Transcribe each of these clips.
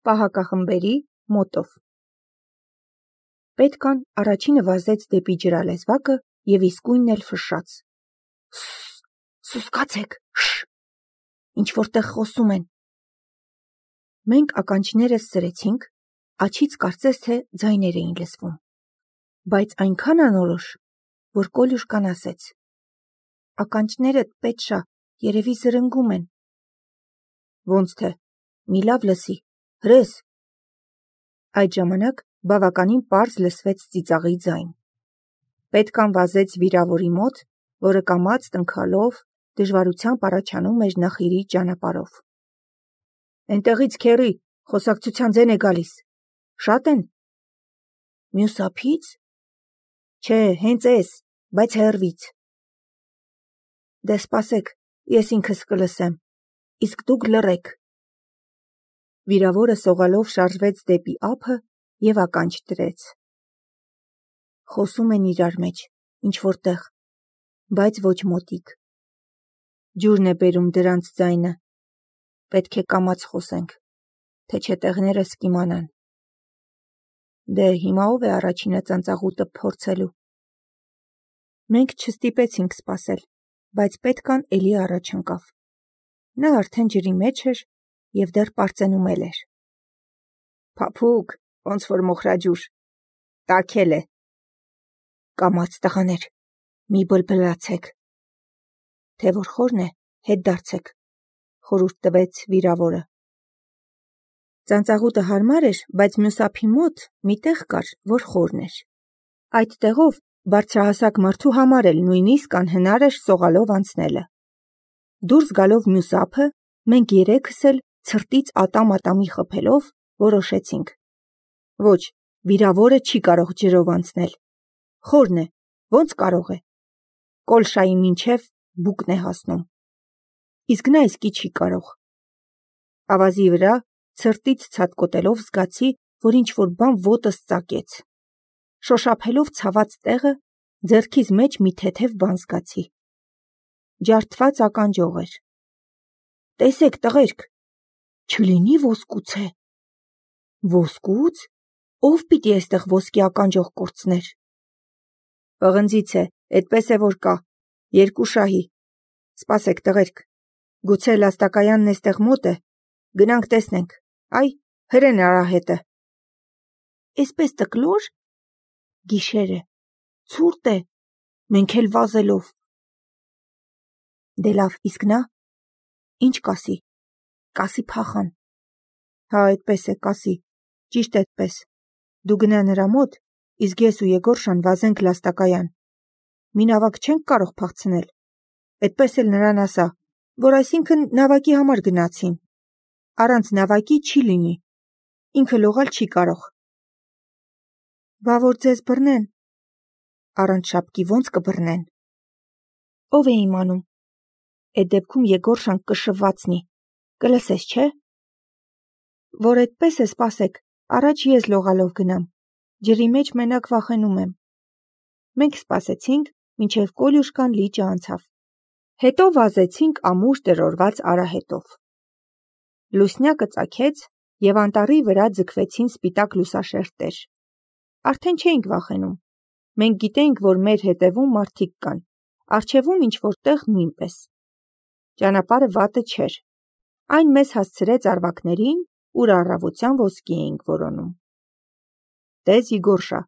պահակախմբերի մոտով։ Պետքան առաջինը վազեց դեպի ջրալեզվակը և իսկույնն էլ ֆշշաց. «Սուսկացեք, ինչ-որտեղ խոսում են»։ Մենք ականջներս սրեցինք, աջից կարծես թե ձայներ էին լսվում, բայց այնքան անորոշ, որ Կոլյուշկան ասեց. «Ականջներդ, Պետշա, երևի զրնգում են»։ Ոնց թե, մի լավ լսի, հրես։ Այդ ժամանակ բավականին պարզ լսվեց ծիծաղի ձայն։ Պետքան վազեց վիրավորի մոտ, որը կամաց տնքալով դժվարությամբ առաջանում էր նախիրի ճանապարհով։ «Էնտեղից քեռի, խոսակցության ձեն է գալիս։ Շատ են»։ «Մյուս ափի՞ց»։ «Չէ, հենց էս, բայց հեռվից»։ «Դե սպասեք, ես ինքս կլսեմ, իսկ դուք լռեք»։ Վիրավորը սողալով շարժվեց դեպի ափը և ականջ դրեց։ Խոսում են իրար մեջ, ինչ-որտեղ, բայց ոչ մոտիկ։ Ջուրն է բերում դրանց ձայնը։ Պետք է կամաց խոսենք, թե չէ տեղներս կիմանան։ Դե հիմա ով է առաջինը ծանծաղուտը փորձելու։ Մենք չստիպեցինք սպասել, բայց Պետքան էլի առաջ ընկավ։ Նա արդեն ջրի մեջ էր և դեռ պարծենում էլ էր։ «Փափուկ, ոնց որ մոխրաջուր, տաքել է»։ «Կամաց տղաներ, մի բլբլացեք»։ Թե որ խորն է, հետ դարձեք, խորհուրդ տվեց վիրավորը։ Ծանծաղուտը հարմար էր, բայց մյուս ափի մոտ մի տեղ կար, որ խորն էր։ Այդ տեղով բարձրահասակ մարդու համար էլ նույնիսկ անհնար էր սողալով անցնելը։ Դուրս գալով մյուս ափը, մենք երեքս էլ ցրտից ատամ-ատամի խփելով որոշեցինք. ոչ, վիրավորը չի կարող ջրով անցնել։ Խորն է, ոնց կարող է։ Կոլշայի մինչև բուկն է հասնում։ Իսկ նա իսկի չի կարող։ Ավազի վրա ցրտից ցատկոտելով զգացի, որ ինչ-որ բան ոտս ծակեց։ Շոշափելով ցաված տեղը, ձեռքիս մեջ մի թեթև բան զգացի։ Ջարդված ականջող էր։ «Տեսեք, տղերք, չլինի ոսկուց է»։ «Ոսկուց։ Ո՞վ պիտի այստեղ ոսկի ականջող կորցներ»։ «Պղնձից է, էդպես է որ կա, 2 շահի։ Սպասեք, տղերք, գուցե լաստակայանն էստեղ մոտ է, գնանք տեսնենք, այ, հրեն արահետը»։ «Էսպես տկլոր»։ Գիշեր է, ցուրտ է, մենք էլ վազելով։ Դե լավ, իսկ նա։ Ինչ կասի։ Կասի փախան։ Հա, այդպես է, կասի, ճիշտ այդպես։ Դու գնա նրա մոտ, իսկ ես ու Եգորշան վազենք լաստակայան։ Մի նավակ չենք կարող փախցնել։ Այդպես էլ նրան ասա, որ այսինքն նավակի համար գնացին։ Առանց նավակի չի լինի։ Ինքը լողալ չի կարող։ Բա որ ձեզ բռնեն։ Առանց շապկի ոնց կբռնեն։ Ով է իմանում։ Այդ դեպքում Եգորշան կշվացնի։ Կլսես, չէ։ Որ այդպես է, սպասեք, առաջ ես լողալով գնամ։ Ջրի մեջ մենակ վախենում եմ։ Մենք սպասեցինք, մինչև Կոլյուշկան լիճը անցավ։ Հետո վազեցինք ամուր տրորված արահետով։ Լուսնյակը ծագեց, և անտառի վրա ձգվեցին սպիտակ լուսաշերտեր։ Արդեն չէինք վախենում։ Մենք գիտեինք, որ մեր հետևում մարդիկ կան, առջևում ինչ-որտեղ նույնպես։ Ճանապարհը վատը չէր։ Այն մեզ հասցրեց արվակներին, ուր առավոտյան ոսկի էինք որոնում։ Տես, Իգորշա,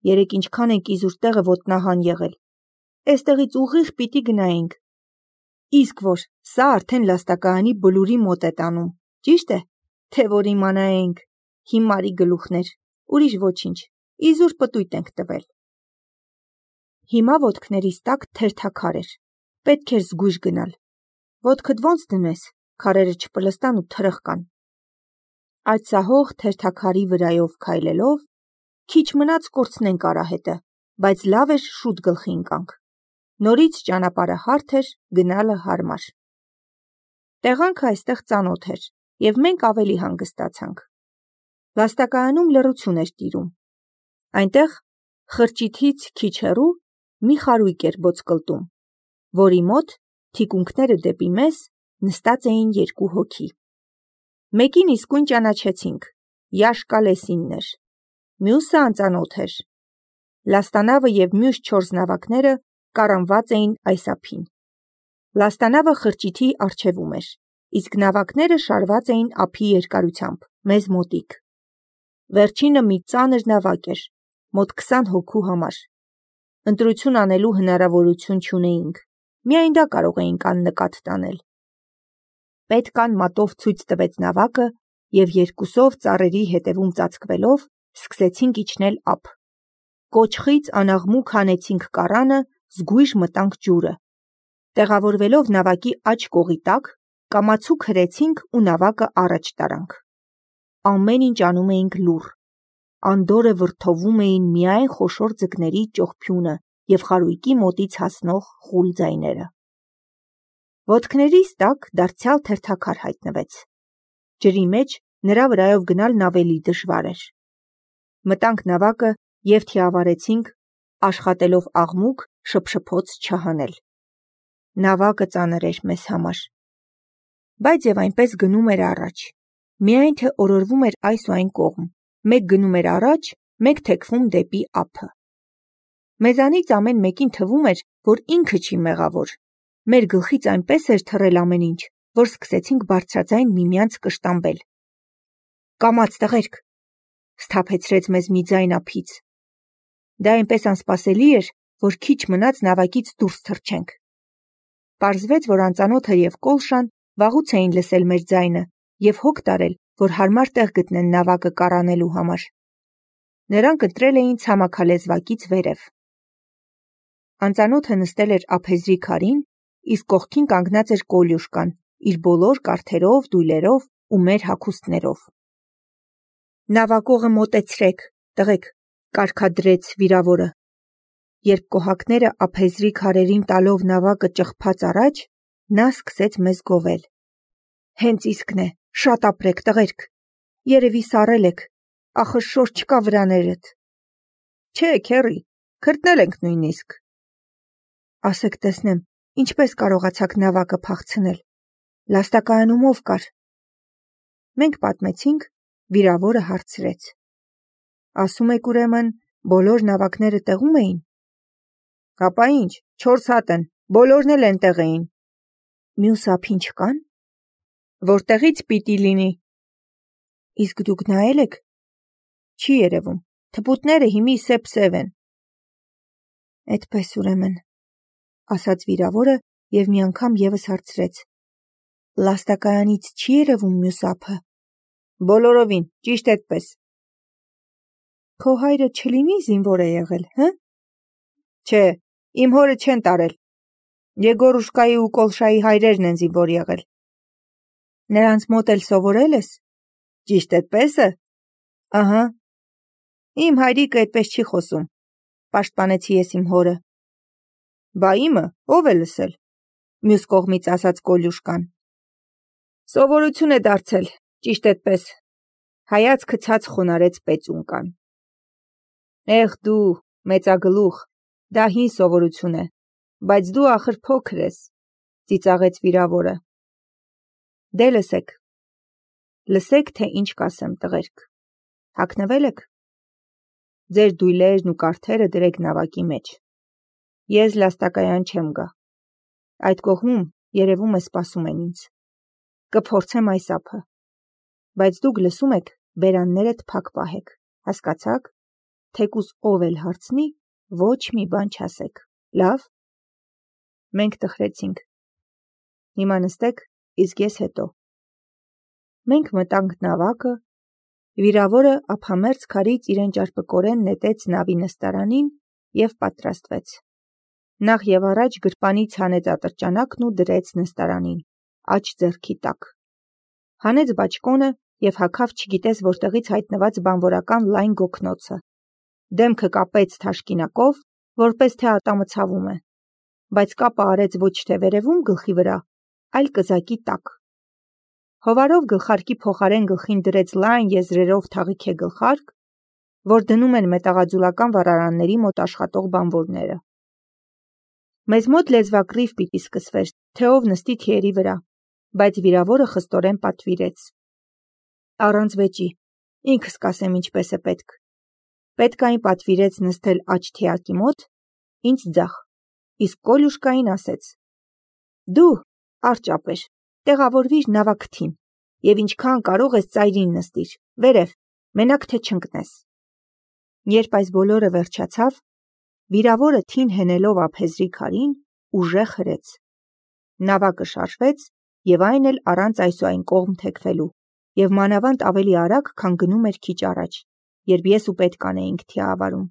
երեկ ինչքան ենք իզուր տեղը ոտնահան եղել։ Էստեղից ուղիղ պիտի գնայինք։ Իսկ որ, սա արդեն լաստակայանի բլուրի մոտ է տանում, ճիշտ է, թե որ իմանայինք, հիմարի գլուխներ, ուրիշ ոչինչ, իզուր պտույտ ենք տվել։ Հիմա ոտքներիս տակ թերթաքար էր, պետք էր զգույշ գնալ։ Ոտքդ ոնց դնես, քարերը չպլստան ու թրխկան։ Այդ սահող թերթաքարի վրայով քայլելով, քիչ մնաց կորցնենք արահետը, բայց լավ էր շուտ գլխի ընկանք։ Նորից ճանապարհը հարթ էր, գնալը հարմար։ Տեղանքը այստեղ ծանոթ էր, և մենք ավելի հանգստացանք։ Լաստակայանում լռություն էր տիրում։ Այնտեղ, խրճիթից քիչ հեռու, մի խարույկ էր բոցկլտում, որի մոտ, թիկունքները դեպի մեզ, նստած էին 2 հոգի։ Մեկին իսկույն ճանաչեցինք, Յաշկալեսինն էր, մյուսը անծանոթ էր։ Լաստանավը և մյուս 4 նավակները կառանված էին այս ափին։ Լաստանավը խրճիթի առջևում էր, իսկ նավակները շարված էին ափի երկարությամբ, մեզ մոտիկ։ Վերջինը մի ծանր նավակ էր, մոտ 20 հոգու համար։ Ընտրություն անելու հնարավորություն չունեինք, միայն դա կարող էինք աննկատ տանել։ Պետկան մատով ցույց տվեց նավակը և երկուսով ծառերի հետևում ծածկվելով սկսեցինք իջնել ափ։ Կոճղից անաղմուկ հանեցինք կառանը, զգույշ մտանք ջուրը։ Տեղավորվելով նավակի աջ կողի տակ, կամացուկ հրեցինք ու նավակը առաջ տարանք։ Ամեն ինչ անում էինք լուռ։ Անդորրը վրդովում էին միայն խոշոր ձկների ճողփյունը և խարույկի մոտից հասնող խուլ ձայները։ Ոտքներիս տակ դարձյալ թերթաքար հայտնվեց։ Ջրի մեջ նրա վրայով գնալն ավելի դժվար էր։ Մտանք նավակը և թիավարեցինք, աշխատելով աղմուկ, շփշփոց չհանել։ Նավակը ծանր էր մեզ համար։ Բայց և այնպես գնում էր առաջ։ Միայն թե օրորվում էր այս ու այն կողմ, մեկ գնում էր առաջ, մեկ թեքվում դեպի ափը։ Մեզանից ամեն մեկին թվում էր, որ ինքը չի մեղավոր։ Մեր գլխից այնպես էր թռել ամեն ինչ, որ սկսեցինք բարձրաձայն միմյանց կշտամբել։ «Կամաց, տղերք», սթափեցրեց մեզ մի ձայն ափից։ Դա այնպես անսպասելի էր, որ քիչ մնաց նավակից դուրս թռչենք։ Պարզվեց, որ անծանոթը և Կոլշան վաղուց էին լսել մեր ձայնը և հոգ տարել, որ հարմար տեղ գտնեն նավակը կառանելու համար։ Նրանք ընտրել էին ցամաքալեզվակից վերև։ Անծանոթը նստել էր ափեզրի քարին, իսկ կողքին կանգնած էր Կոլյուշկան, իր բոլոր կարթերով, դույլերով ու մեր հագուստներով։ «Նավակողը մոտեցրեք, տղեկ», կարգադրեց վիրավորը։ Երբ կոհակները ափեզրի քարերին տալով նավակը ճղփաց առաջ, նա սկսեց մեզ գովել։ «Հենց իսկն է, շատ ապրեք, տղերք, երևի սառել եք, ախր շոր չկա վրաներդ»։ «Չէ, քեռի, քրտնել ենք նույնիսկ»։ «Ասեք տեսնեմ, ինչպես կարողացաք նավակը փախցնել, լաստակայանում ով կար»։ Մենք պատմեցինք, վիրավորը հարցրեց. «Ասում եք ուրեմն, բոլոր նավակները տեղում էին»։ «Հապա ինչ, 4 հատ են, բոլորն էլ էնտեղ էին»։ «Մյուս ափին չկան»։ «Որտեղից պիտի լինի»։ «Իսկ դուք նայել եք»։ «Չի երևում, թփուտները հիմի սև են»։ «Էդպես ուրեմն», ասաց վիրավորը և մի անգամ ևս հարցրեց. «Լաստակայանից չի երևում մյուս ափը»։ «Բոլորովին, ճիշտ էդպես»։ «Քո հայրը չլինի զինվոր է եղել, հը»։ «Չէ, իմ հորը չեն տարել։ Եգորուշկայի ու Կոլշայի հայրերն են զինվոր եղել»։ «Նրանց մոտ էլ սովորել ես»։ «Ճիշտ էդպես է»։ «Ահա»։ «Իմ հայրիկը այդպես չի խոսում», պաշտպանեցի ես իմ հորը։ «Բա իմը ով է լսել»։ Մյուս կողմից ասաց Կոլյուշկան։ «Սովորություն է դարձել, ճիշտ էդպես», հայացքը ցած խոնարհեց Պեցունկան։ «Էհ դու, մեծագլուխ, դա հին սովորություն է, բայց դու ախր փոքր ես», ծիծաղեց վիրավորը։ «Դե լսեք։ Լսեք, թե ինչ կասեմ, տղերք։ Հագնվե՞լ եք։ Ձեր դույլերն ու կարթերը դրեք նավակի մեջ։ Ես լաստակայան չեմ գա։ Այդ կողմում, երևում է, սպասում են ինձ։ Կփորձեմ այս ափը։ Բայց դուք լսում եք, բերաններդ փակ պահեք, հասկացաք։ Թեկուզ ով էլ հարցնի, ոչ մի բան չասեք, լավ»։ Մենք տխրեցինք։ «Հիմա նստեք, իսկ ես հետո»։ Մենք մտանք նավակը, վիրավորը ափամերձ քարից իրեն ճարպկորեն նետեց նավի նստարանին և պատրաստվեց։ Նախ և առաջ գրպանից հանեց ատրճանակն ու դրեց նստարանին, աջ ձեռքի տակ։ Հանեց բաճկոնը և հագավ չգիտես որտեղից հայտնված բանվորական լայն գոգնոցը։ Դեմքը կապեց թաշկինակով, որպես թե ատամը ցավում է, բայց կապը արեց ոչ թե վերևում գլխի վրա, այլ կզակի տակ։ Հովարով գլխարկի փոխարեն գլխին դրեց լայն եզրերով թաղիքե գլխարկ, որ դնում են մետաղաձուլական վառարանների մոտ աշխատող բանվորները։ Մեզ մոտ լեզվակռիվ պիտի սկսվեր, թե ով նստի թիերի վրա, բայց վիրավորը խստորեն պատվիրեց. «Առանց վեճի, Ինքս կասեմ ինչպես է պետք։ Պետկային պատվիրեց նստել աջ թիակի մոտ, ինձ ձախ, իսկ Կոլյուշկային ասեց. «Դու, արճապեր, տեղավորվիր նավակթին և ինչքան կարող ես ծայրին նստիր, վերև, մենակ թե չընկնես»։ Երբ այս բոլորը վերջացավ, վիրավորը թին հենելով ափեզրի քարին, ուժեղ հրեց։ Նավակը շարժվեց և այն էլ առանց այսուայն կողմ թեքվելու, և մանավանդ ավելի արագ, քան գնում էր քիչ առաջ, երբ ես ու Պետկան էինք թիավարում։